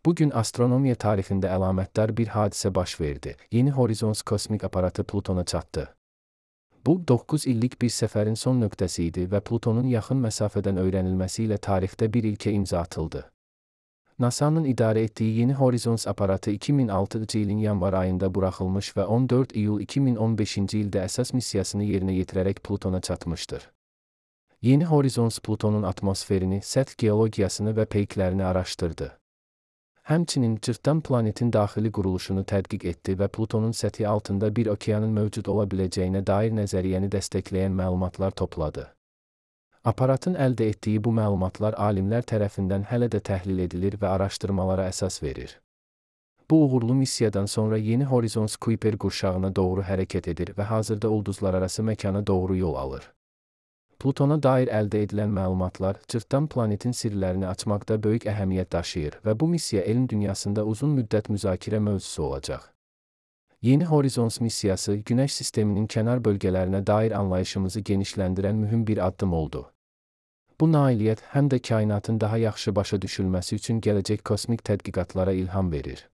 Bugün astronomiya tarixində əlamətdar bir hadisə baş verdi. Yeni Horizons kosmik aparatı Plutona çatdı. Bu, 9 illik bir səfərin son nöqtəsi idi və Plutonun yaxın məsafədən öyrənilməsi ilə tarixdə bir ilkə imza atıldı. NASA'nın idarə etdiyi Yeni Horizons aparatı 2006-cı ilin yanvar ayında buraxılmış və 14 iyul 2015-ci ildə əsas missiyasını yerinə yetirərək Plutona çatmışdır. Yeni Horizons Plutonun atmosferini, səth geologiyasını və peyklərini araşdırdı. Həmçinin cırtdan planetin daxili quruluşunu tədqiq etdi və Plutonun səthi altında bir okeanın mövcud ola biləcəyinə dair nəzəriyyəni dəstəkləyən məlumatlar topladı. Aparatın əldə etdiyi bu məlumatlar alimlər tərəfindən hələ də təhlil edilir və araşdırmalara əsas verir. Bu uğurlu missiyadan sonra Yeni Horizons Kuiper qurşağına doğru hərəkət edir və hazırda ulduzlararası məkana doğru yol alır. Plutona dair əldə edilən məlumatlar, cırtdan planetin sirlərini açmaqda böyük əhəmiyyət daşıyır və bu missiya elm dünyasında uzun müddət müzakirə mövzusu olacaq. Yeni Horizons missiyası, Günəş sisteminin kənar bölgələrinə dair anlayışımızı genişləndirən mühüm bir addım oldu. Bu nailiyyət həm də kainatın daha yaxşı başa düşülməsi üçün gələcək kosmik tədqiqatlara ilham verir.